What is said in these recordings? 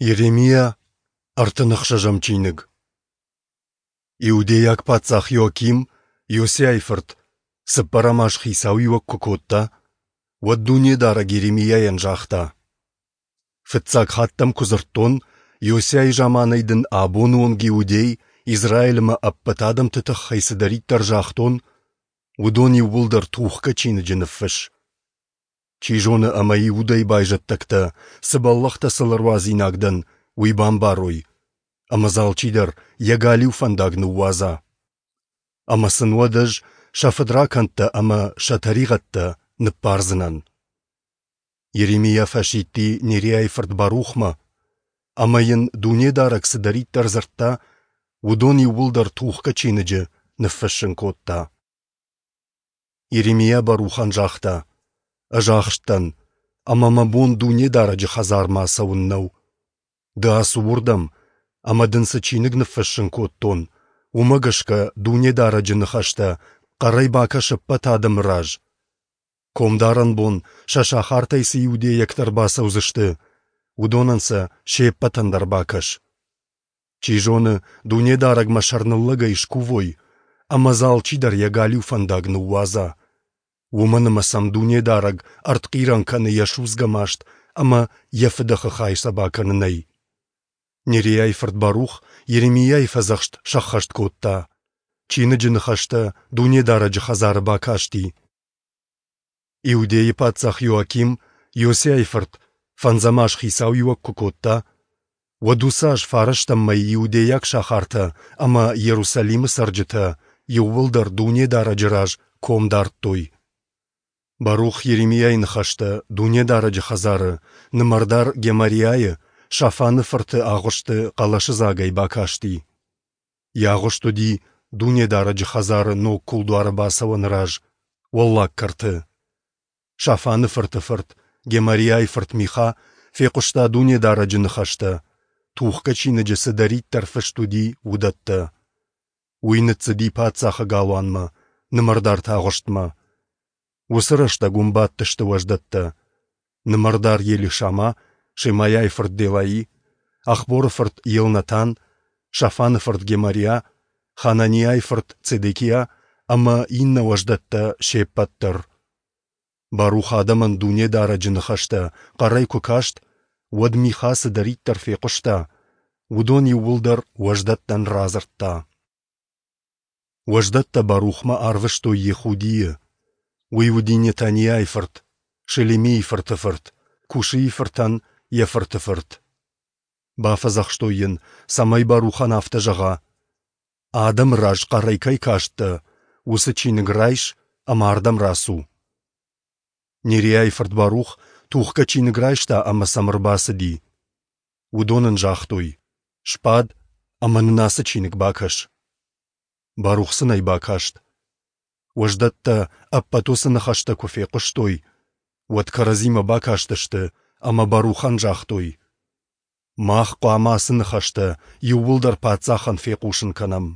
Йеремиа, 36-ӕм чиныг. Иудейаг паддзах Иоаким, Иосиайы фырт, цыппӕрӕм аз хицауиуӕг куы кодта, уӕд Дунедарӕг Йеремиайӕн загъта: Фыццаг хатт дӕм куы дзырдтон, Иосиайы заманӕй дын абоны онг Иудей, Израиль ӕмӕ ӕппӕт адӕмты тыххӕй цыдӕриддӕр загътон, уыдон иууылдӕр тухгӕ чиныджы ныффысс. Чи зоны, ӕмӕ Иудӕйы байзӕддӕгтӕ, цы бӕллӕхтӕ сыл ӕруадзинаг дӕн, уый бамбарой, ӕмӕ дзы алчидӕр йӕ галиу фӕндаг ныууадза. Ӕмӕ сын уӕд ӕз сӕ фыдракӕндтӕ ӕмӕ сӕ тӕригъӕдтӕ ныббардзынӕн. Йеремиа фӕсидти Нериайы фырт Барухмӕ, ӕмӕ йын Дунедарӕг цыдӕриддӕр дзырдта, уыдон иууылдӕр тухгӕ чиныджы ныффыссын кодта. Йеремиа Барухӕн загъта: «Ӕз ахст дӕн, ӕмӕ мӕ бон Дунедарӕджы хӕдзармӕ ацӕуын нӕу. Ды ацу уырдӕм, ӕмӕ дын цы чиныг ныффыссын кодтон, уымӕ гӕсгӕ Дунедарӕджы ныхӕстӕ хъӕрӕй бакӕс ӕппӕт адӕмы раз. Комдарӕн бон сӕ сахартӕй цы иудейӕгтӕ ӕрбацӕудзысты, уыдонӕн сӕ се ппӕтӕн дӕр бакӕс. Чи зоны, Дунедарӕгмӕ сӕрныллӕгӕй скувой, ӕмӕ дзы алчидӕр йӕ галиу фӕндаг ныууадза. Уымӕн ӕмӕ сӕм Дунедарӕг ӕртхъирӕн кӕны йӕ судзгӕ маст ӕмӕ йӕ фыдӕхы хай сӕ бакӕнынӕй. Нериайы фырт Барух Йеремиайы фӕдзӕхст сӕххӕст кодта. Чиныджы ныхӕстӕ Дунедарӕджы хӕдзары бакасти. Иудейы паддзах Иоаким, Иосиайы фырт, фӕндзӕм аз хицауиуӕг куы кодта, уӕд уыцы аз фарӕстӕм мӕй иудейаг сахартӕ ӕмӕ Иерусалимы цӕрджытӕ иууылдӕр Дунедарӕджы раз ком дардтой. Барух Йеремиайы ныхӕстӕ Дунедарӕджы хӕдзары, нымӕрдар Гемариайы, Шафаны фырты агъуысты хъӕлӕсыдзагӕй бакасти. Йӕ агъуыст уыди Дунедарӕджы хӕдзары ног кулдуары бацӕуӕны раз, уӕллаг кӕрты. Шафаны фырты фырт, Гемариайы фырт Миха, фехъуыста Дунедарӕджы ныхӕстӕ, тухгӕ чиныджы цыдӕриддӕр фыст уыди, уыдӕттӕ. Уый ныццыди паддзахы галуанмӕ, нымӕрдарты агъуыстмӕ. Уыцы рӕстӕг уым бадтысты уӕздӕттӕ: нымӕрдар Елишама, Шемайайы фырт Делаи, Ахборы фырт Елнатан, Шафаны фырт Гемариа, Хананиайы фырт Цедекиа ӕмӕ иннӕ уӕздӕттӕ се ппӕт дӕр. Барух адӕмӕн Дунедарӕджы ныхӕстӕ хъӕрӕй куы каст, уӕд Миха цыдӕриддӕр фехъуыста, уыдон иууылдӕр уӕздӕттӕн радзырдта. Уӕздӕттӕ Барухмӕ арвыстой Йехудийы. Уый уыди Нетаниайы фырт, Шелемийы фырты фырт, Кушийы фыртӕн йӕ фырты фырт. Бафӕдзӕхстой йын, цӕмӕй Барухӕн афтӕ зӕгъа: «Адӕмы раз хъӕрӕй кӕй касттӕ, уыцы чиныг райс ӕмӕ ардӕм рацу». Нериайы фырт Барух тухгӕ чиныг райста ӕмӕ сӕм ӕрбацыди. Уыдон ын загътой: «Сбад ӕмӕ нын ацы чиныг бакӕс». Барух сын ӕй бакаст. Уӕздӕттӕ ӕппӕт уыцы ныхӕстӕ куы фехъуыстой, уӕд кӕрӕдзимӕ бакастысты ӕмӕ Барухӕн загътой: «Мах хъуамӕ ацы ныхӕстӕ иууылдӕр паддзахӕн фехъусын кӕнӕм».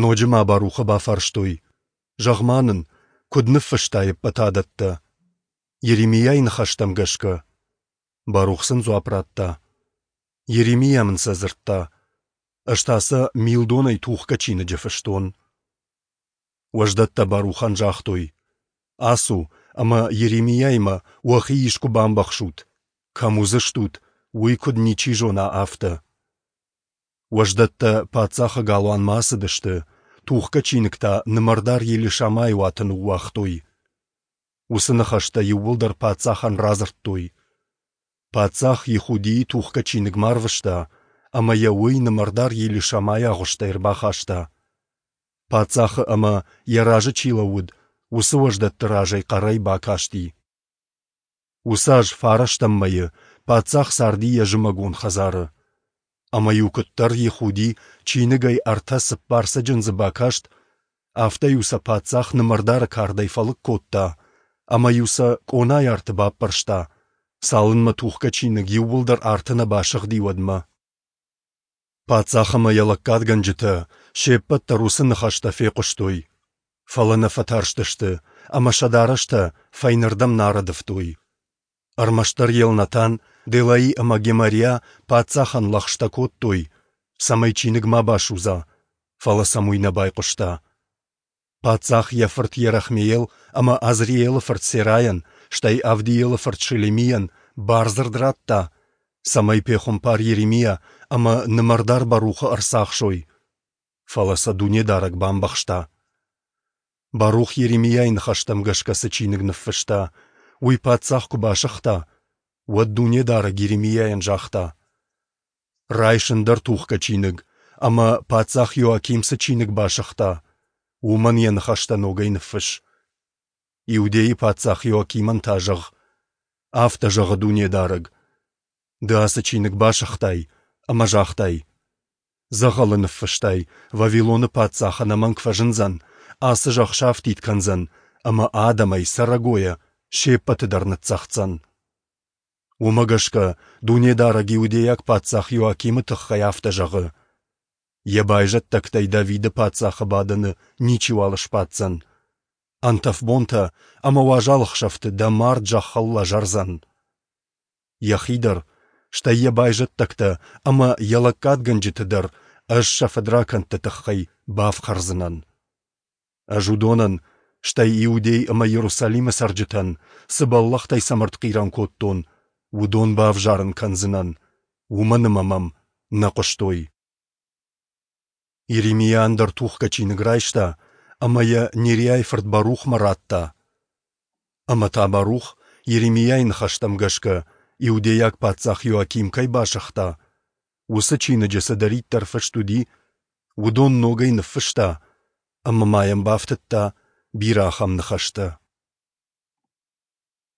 Ноджы ма Барухы бафарстой: «Зӕгъ-ма нын, куыд ныффыстай ӕппӕт адӕттӕ?» Йеремиайы ныхӕстӕм гӕсгӕ. Барух сын дзуапп радта: «Йеремиа мын сӕ дзырдта, ӕз та сӕ милдонӕй тухгӕ чиныджы фыстон». Уӕздӕттӕ Барухӕн загътой: «Ацу ӕмӕ Йеремиаимӕ уӕхи искуы бамбӕхсут, кӕм уыдзыстут, уый куыд ничи зона, афтӕ». Уӕздӕттӕ паддзахы галуанмӕ ацыдысты, тухгӕ чиныг та нымӕрдар Елишамайы уаты ныууагътой. Уыцы ныхӕстӕ иууылдӕр паддзахӕн радзырдтой. Паддзах Йехудийы тухгӕ чиныгмӕ арвыста, ӕмӕ йӕ уый нымӕрдар Елишамайы агъуыстӕй ӕрбахаста. Паддзахы ӕмӕ, йӕ разы чи лӕууыд, уыцы уӕздӕтты разӕй хъӕрӕй бакасти. Уыцы аз фарӕстӕм мӕйы паддзах царди йӕ зымӕгон хӕдзары. Ӕмӕ-иу куыддӕр Йехуди чиныгӕй ӕртӕ-цыппар цӕджындзы бакаст, афтӕ-иу сӕ паддзах нымӕрдары кардӕй фӕлыг кодта ӕмӕ-иу сӕ къонайы арты баппӕрста, цалынмӕ тухгӕ чиныг иууылдӕр арты нӕ басыгъди, уӕдмӕ. Паддзах ӕмӕ йӕ лӕггадгӕнджытӕ се ппӕт дӕр уыцы ныхӕстӕ фехъуыстой, фӕлӕ нӕ фӕтарстысты ӕмӕ сӕ дарӕстӕ фӕйнӕрдӕм нӕ арӕдывтой. Ӕрмӕстдӕр Елнатан, Делаи ӕмӕ Гемариа паддзахӕн лӕгъстӕ кодтой, цӕмӕй чиныг ма басудза, фӕлӕ сӕм уый нӕ байхъуыста. Паддзах йӕ фырт Йерахмеел ӕмӕ Азриелы фырт Серайӕн, стӕй Авдиелы фырт Шелемийӕн бардзырд радта, цӕмӕй пехуымпар Йеремиа ӕмӕ нымӕрдар Барухы ӕрцахсой. Фӕлӕ сӕ Дунедарӕг бамбӕхста. Барух Йеремиайы ныхӕстӕм гӕсгӕ цы чиныг ныффыста, уый паддзах куы басыгъта, уӕд Дунедарӕг Йеремиайӕн загъта: Райс ӕндӕр тухгӕ чиныг, ӕмӕ, паддзах Иоаким цы чиныг басыгъта, уымӕн йӕ ныхӕстӕ ногӕй ныффысс. Иудейы паддзах Иоакимӕн та зӕгъ: Афтӕ зӕгъы Дунедарӕг: Ды ацы чиныг басыгътай ӕмӕ загътай: Дзӕгъӕлы ныффыстай, Вавилоны паддзах ӕнӕмӕнг фӕзындзӕн, ацы зӕхх сафтид кӕндзӕн ӕмӕ адӕмӕй, цӕрӕгойӕ се ппӕты дӕр ныццӕгъддзӕн. Уымӕ гӕсгӕ Дунедарӕг иудейаг паддзах Иоакимы тыххӕй афтӕ зӕгъы: Йӕ байзӕддӕгтӕй Давиды паддзахы бадӕны ничиуал сбаддзӕн. Ӕнтӕф бонтӕ ӕмӕ уазал ӕхсӕвты дӕ мард зӕххыл лӕзӕрдзӕн. Йӕхи дӕр, стӕй йӕ байзӕддӕгтӕ ӕмӕ йӕ лӕггадгӕнджыты дӕр ӕз сӕ фыдракӕндты тыххӕй бафхӕрдзынӕн. Ӕз уыдонӕн, стӕй Иудей ӕмӕ Иерусалимы цӕрджытӕн, цы бӕллӕхтӕй сӕм ӕртхъирӕн кодтон, уыдон бавзарын кӕндзынӕн, уымӕн ӕмӕ мӕм нӕ хъуыстой. Иеремиа ӕндӕр тухгӕ чиныг райста ӕмӕ йӕ Нериайы фырт Барухмӕ радта. Ӕмӕ та Барух, Иеремиайы ныхӕстӕм гӕсгӕ, иудейаг паддзах Иоаким кӕй басыгъта, уыцы чиныджы цыдӕриддӕр фыст уыди, уыдон ногӕй ныффыста ӕмӕ ма йӕм бафтыдта бирӕ ахӕм ныхӕстӕ.